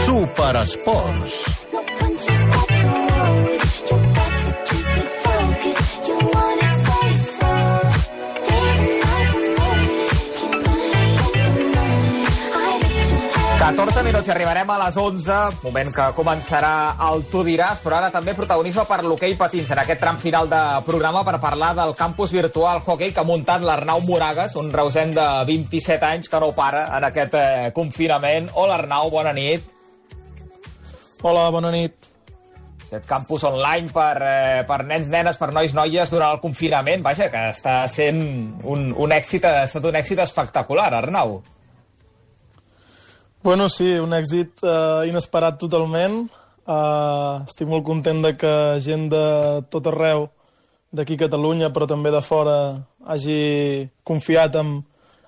Superesports. Minuts i arribarem a les 11, moment que començarà el Tu diràs, però ara també protagonisme per l'hoquei patins en aquest tram final de programa per parlar del campus virtual hockey que ha muntat l'Arnau Moragas, un reusenc de 27 anys que no para en aquest confinament. Hola Arnau, bona nit. Hola, bona nit. Aquest campus online per nens, nenes, per nois, noies durant el confinament, vaja, que està sent un èxit, ha estat un èxit espectacular, Arnau. Bueno, sí, un èxit inesperat totalment. Estic molt content de que gent de tot arreu, d'aquí a Catalunya, però també de fora, hagi confiat en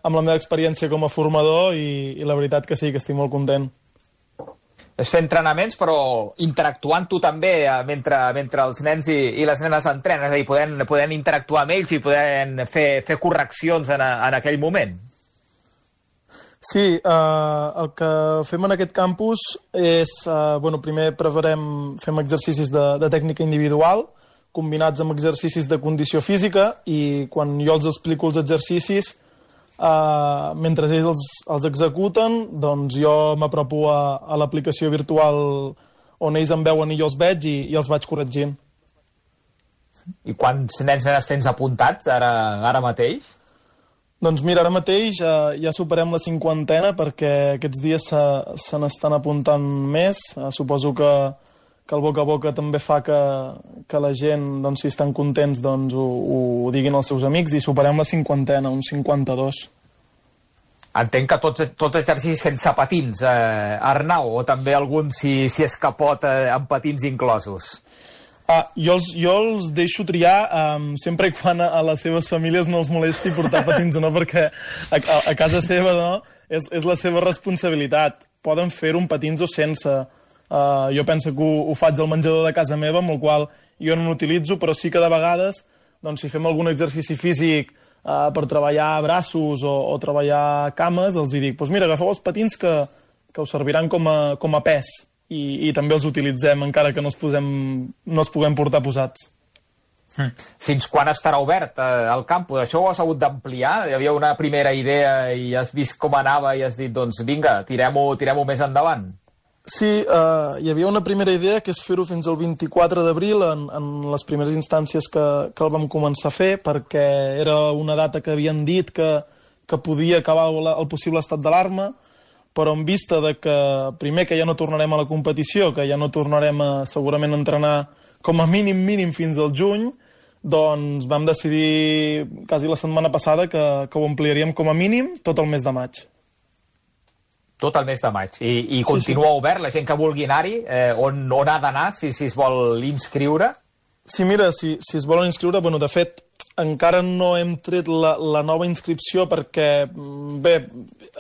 la meva experiència com a formador i la veritat que sí, que estic molt content. És fer entrenaments, però interactuant tu també mentre els nens i les nenes entrenen, és a dir, podent interactuar amb ells i podent fer correccions en aquell moment. Sí, el que fem en aquest campus és, primer fem exercicis de tècnica individual, combinats amb exercicis de condició física, i quan jo els explico els exercicis, mentre ells els executen, doncs jo m'apropo a l'aplicació virtual on ells em veuen i jo els veig i els vaig corregint. I quants nens nenes tens apuntats ara mateix? Doncs mira, ara mateix ja superem la 50 perquè aquests dies se n'estan apuntant més. Suposo que el boca a boca també fa que la gent, doncs, si estan contents, doncs, ho diguin als seus amics, i superem la 50, uns 52. Entenc que tots exercicis sense patins, Arnau, o també algun si és que pot amb patins inclosos? Jo els deixo triar sempre i quan a les seves famílies no els molesti portar patins o no, perquè a casa seva no, és la seva responsabilitat. Poden fer-ho amb patins o sense. Jo penso que ho faig al menjador de casa meva, amb el qual jo no l'utilitzo, però sí que de vegades, doncs, si fem algun exercici físic per treballar braços o treballar cames, els dic, doncs mira, agafeu els patins que us serviran com a pes. I també els utilitzem, encara que no els puguem portar posats. Fins quan estarà obert el campus? Això ho has hagut d'ampliar? Hi havia una primera idea i has vist com anava i has dit, doncs vinga, tirem-ho més endavant. Sí, hi havia una primera idea, que és fer-ho fins al 24 d'abril, en les primeres instàncies que el vam començar a fer, perquè era una data que havien dit que podia acabar el possible estat d'alarma, però en vista de que, primer, que ja no tornarem a la competició, que ja no tornarem segurament a entrenar com a mínim fins al juny, doncs vam decidir quasi la setmana passada que ho ampliaríem com a mínim tot el mes de maig. Tot el mes de maig. I continua obert? La gent que vulgui anar-hi, on ha d'anar si es vol inscriure? Sí, mira, si es volen inscriure, de fet, encara no hem tret la nova inscripció perquè, bé,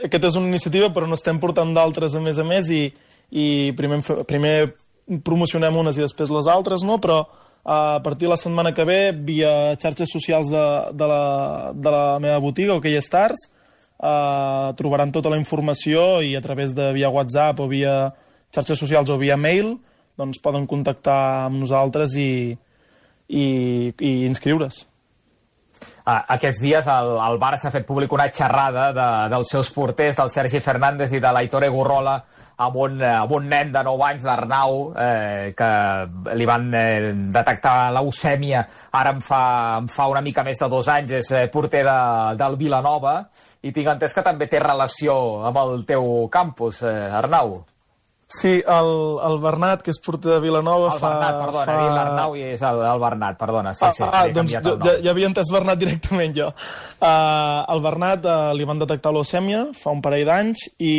aquesta és una iniciativa però n'estem portant d'altres a més i primer promocionem unes i després les altres, no? Però a partir de la setmana que ve, via xarxes socials de la meva botiga, OK Stars, trobaran tota la informació i a través de via WhatsApp o via xarxes socials o via mail, doncs poden contactar amb nosaltres i inscriure's. Aquests dies el Barça ha fet públic una xerrada dels seus porters, del Sergi Fernández i de l'Aitor Egurrola, amb un nen de 9 anys, l'Arnau, que li van detectar leucèmia, ara em fa una mica més de 2 anys, és porter del Vilanova, i tinc entès que també té relació amb el teu campus, Arnau. Sí, el Bernat, que és porter de Vilanova... Bernat, perdona, l'Arnau i és el Bernat, perdona. Sí, doncs ja havia entès Bernat directament jo. El Bernat li van detectar leucèmia fa un parell d'anys i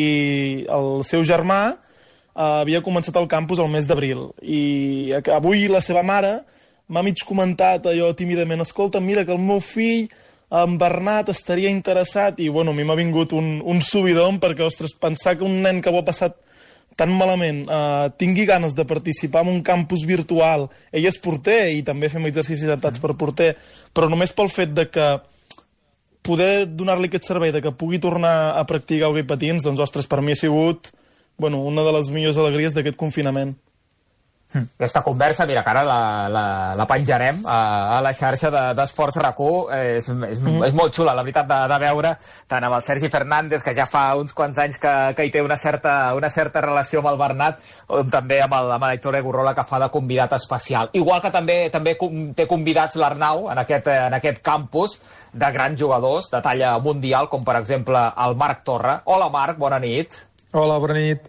el seu germà havia començat al campus el mes d'abril. I avui la seva mare m'ha mig comentat allò tímidament, escolta, mira que el meu fill, en Bernat, estaria interessat, i bueno, a mi m'ha vingut un subidon perquè, ostres, pensar que un nen que ho ha passat tan malament tingui ganes de participar en un campus virtual. Ell és porter i també fem exercicis adaptats per porter, però només pel fet de que poder donar-li aquest servei de que pugui tornar a practicar hoquei patins, doncs, ostres, per mi ha sigut una de les millors alegries d'aquest confinament. Aquesta conversa, mira, que ara la penjarem a la xarxa d'Esports RAC1. És molt xula, la veritat, de veure tant amb el Sergi Fernández, que ja fa uns quants anys que hi té una certa relació amb el Bernat, com també amb l'Aitor Egurrola, que fa de convidat especial. Igual que també té convidats l'Arnau en aquest campus de grans jugadors de talla mundial, com per exemple el Marc Torra. Hola, Marc, bona nit. Hola, bona nit.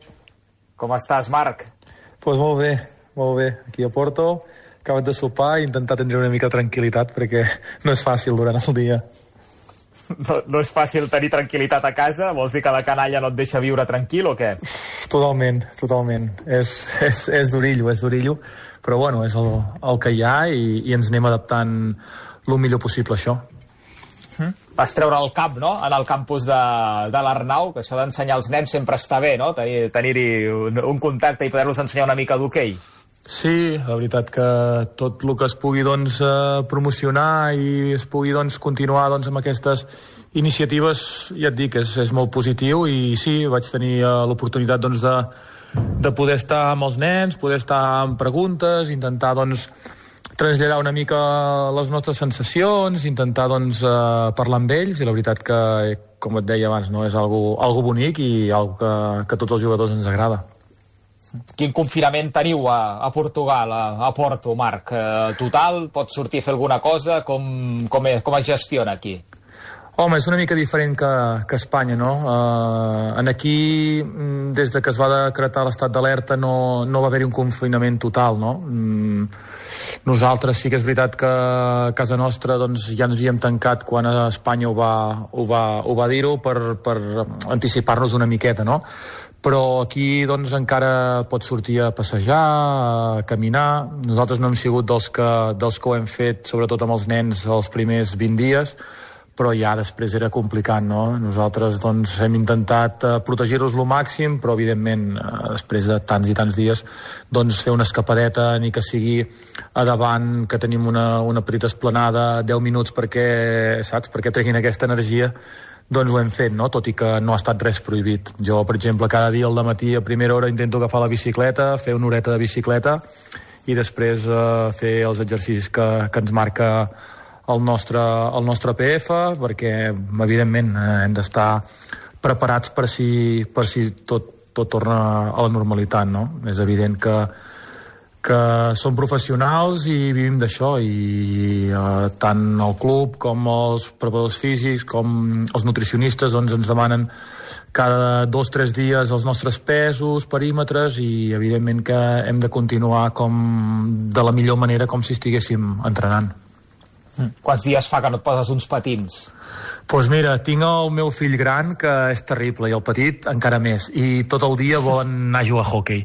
Com estàs, Marc? Doncs molt bé, aquí a Porto, acabat de sopar i intentar tindre una mica de tranquil·litat perquè no és fàcil durant el dia. No és fàcil tenir tranquil·litat a casa? Vols dir que la canalla no et deixa viure tranquil o què? Totalment. És d'orillo, però bueno, és el que hi ha i ens anem adaptant el millor possible a això. Vas treure el cap, no?, en el campus de l'Arnau, que això d'ensenyar als nens sempre està bé, no?, tenir-hi un contacte i poder-los ensenyar una mica d'hoquei. Sí, la veritat que tot el que es pugui promocionar i es pugui continuar amb aquestes iniciatives, ja et dic, és molt positiu. I sí, vaig tenir l'oportunitat de poder estar amb els nens, poder estar amb preguntes, intentar traslladar una mica les nostres sensacions, intentar parlar amb ells, i la veritat que, com et deia abans, no, és algo bonic i algo que a tots els jugadors ens agrada. Quin confinament teniu a Portugal, a Porto, Marc? Total? Pots sortir a fer alguna cosa? Com es gestiona aquí? Home, és una mica diferent que Espanya, no? Aquí, des de que es va decretar l'estat d'alerta, no va haver-hi un confinament total, no? Nosaltres sí que és veritat que a casa nostra ja ens hi hem tancat quan a Espanya ho va dir-ho per anticipar-nos una miqueta, no? Però aquí encara pots sortir a passejar, a caminar. Nosaltres no hem sigut dels que ho hem fet, sobretot amb els nens, els primers 20 dies, però ja després era complicat, no? Nosaltres hem intentat protegir-los lo màxim, però evidentment després de tants i tants dies fer una escapadeta, ni que sigui a davant, que tenim una petita esplanada, 10 minuts perquè treguin aquesta energia, ho hem fet, no? Tot i que no ha estat res prohibit. Jo, per exemple, cada dia al dematí a primera hora intento agafar la bicicleta, fer una horeta de bicicleta i després fer els exercicis que ens marca el nostre PF, perquè evidentment hem d'estar preparats per si tot torna a la normalitat, no? És evident que som professionals i vivim d'això, i tant el club com els preparadors físics com els nutricionistes ens demanen cada 2 o 3 dies els nostres pesos, perímetres, i evidentment que hem de continuar de la millor manera, com si estiguéssim entrenant. Quants dies fa que no et poses uns patins? Doncs mira, tinc el meu fill gran, que és terrible, i el petit encara més, i tot el dia volen anar a jugar a hoquei.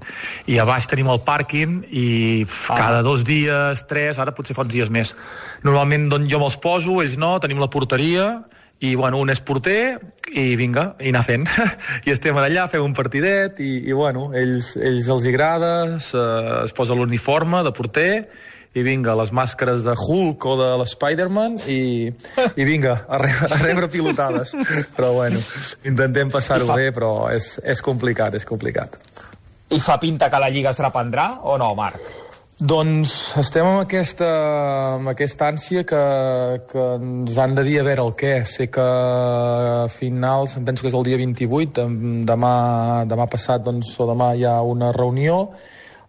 I a baix tenim el pàrquing i cada 2 dies, 3, ara potser fa uns dies més. Normalment jo me'ls poso, ells no, tenim la porteria, i un és porter, i vinga, i anar fent. I estem allà, fem un partidet, i ells els agrada, es posa l'uniforme de porter, i vinga, les màscares de Hulk o de l'Spiderman i vinga, a rebre pilotades. Però intentem passar-ho bé, però és complicat. I fa pinta que la Lliga es reprendrà o no, Marc? Doncs estem amb aquesta ànsia que ens han de dir a veure el què. Sé que a finals, em penso que és el dia 28, demà passat o demà hi ha una reunió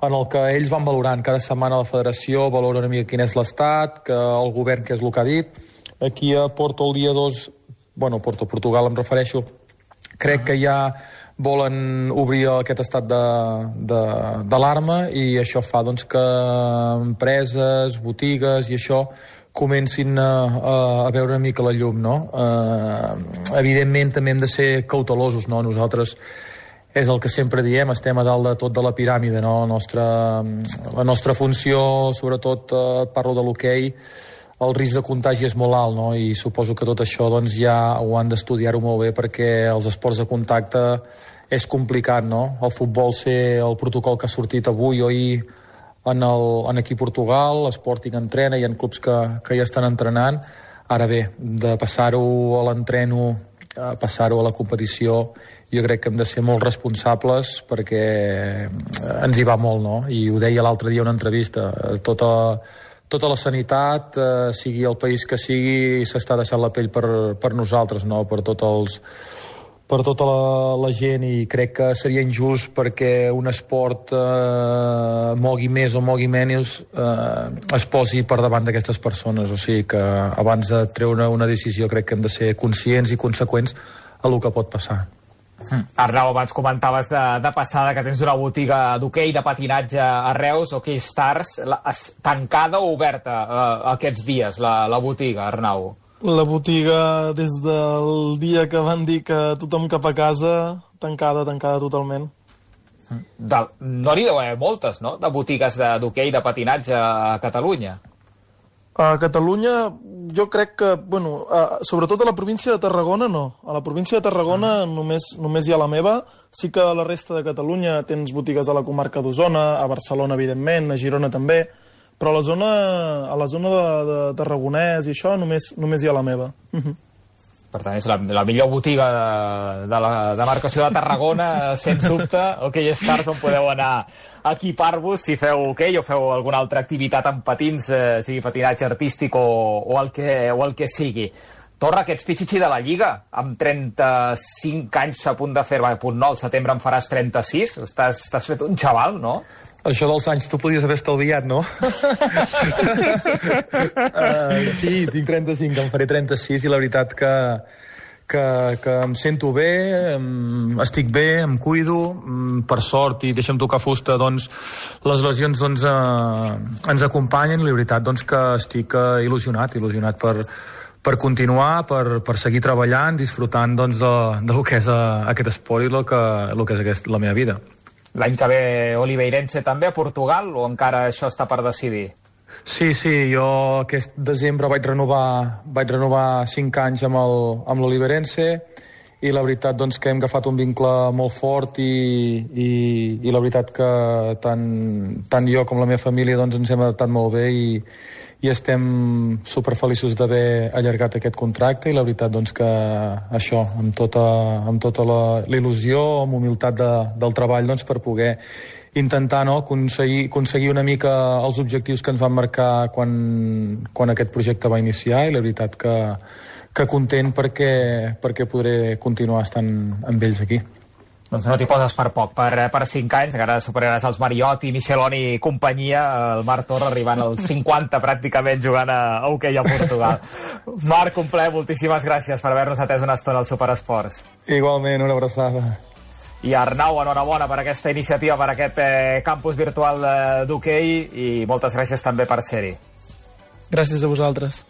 en el que ells van valorant. Cada setmana la federació valora una mica quin és l'estat, que el govern què és el que ha dit. Aquí a Porto el dia 2, Portugal em refereixo, crec que ja volen obrir aquest estat d'alarma, i això fa que empreses, botigues i això comencin a veure una mica la llum, no? Evidentment també hem de ser cautelosos, no? Nosaltres és el que sempre diem, estem a dalt de tot de la piràmide, no? La nostra funció, sobretot parlo de l'hoquei, el risc de contagi és molt alt, no? I suposo que tot això ja ho han d'estudiar-ho molt bé, perquè els esports de contacte és complicat, no? El futbol sé el protocol que ha sortit avui o ahir aquí a Portugal, l'Sporting entrena, hi ha clubs que ja estan entrenant. Ara bé, de passar-ho a l'entreno, passar-ho a la competició, jo crec que hem de ser molt responsables perquè ens hi va molt, no? I ho deia l'altre dia en una entrevista, tota la sanitat, sigui el país que sigui, s'està deixant la pell per nosaltres, no? Per tota la gent, i crec que seria injust perquè un esport mogui més o mogui menys es posi per davant d'aquestes persones. O sigui que abans de treure una decisió crec que hem de ser conscients i conseqüents a el que pot passar. Arnau, abans comentaves de passada que tens una botiga d'hoquei, de patinatge a Reus, Hockey Stars, tancada o oberta aquests dies, la botiga, Arnau? La botiga, des del dia que van dir que tothom cap a casa, tancada totalment. No n'hi deu haver moltes, no?, de botigues d'hoquei, de patinatge a Catalunya. A Catalunya, jo crec que, bueno, sobretot a la província de Tarragona no. A la província de Tarragona només hi ha la meva. Sí que a la resta de Catalunya tens botigues a la comarca d'Osona, a Barcelona, evidentment, a Girona també, però a la zona de Tarragonès i això només hi ha la meva. Per tant, és la millor botiga de la demarcació de Tarragona, sens dubte. Hockey Stars, on podeu anar a equipar-vos si feu hoquei o feu alguna altra activitat amb patins, sigui patinatge artístic o el que sigui. Torra, que ets pitxitxi de la Lliga, amb 35 anys a punt de fer, al setembre en faràs 36, estàs fet un xaval, no? Això dels anys tu podies haver estalviat, no? Sí, tinc 35, em faré 36 i la veritat que em sento bé, estic bé, em cuido, per sort, i deixa'm tocar fusta, doncs les lesions ens acompanyen, i la veritat doncs, que estic il·lusionat per continuar, per seguir treballant, disfrutant doncs, del que és aquest esport i el que és la meva vida. L'any que ve Oliveirense també a Portugal, o encara això està per decidir? Sí, jo aquest desembre vaig renovar 5 anys amb l'Oliveirense, i la veritat doncs, que hem agafat un vincle molt fort i la veritat que tant jo com la meva família doncs, ens hem adaptat molt bé i estem superfeliços d'haver allargat aquest contracte, i la veritat doncs, que això, amb tota la il·lusió, amb humilitat del treball, doncs, per poder intentar aconseguir una mica els objectius que ens van marcar quan aquest projecte va iniciar, i la veritat que content perquè podré continuar estant amb ells aquí. Doncs no t'hi poses per poc, per 5 anys, encara superaràs els Mariotti, Micheloni i companyia, el Marc Torra arribant als 50 pràcticament jugant a hoquei a Portugal. Marc, un plaer, moltíssimes gràcies per haver-nos atès una estona al Superesports. Igualment, una abraçada. I Arnau, enhorabona per aquesta iniciativa, per aquest campus virtual d'hoquei, i moltes gràcies també per ser-hi. Gràcies a vosaltres.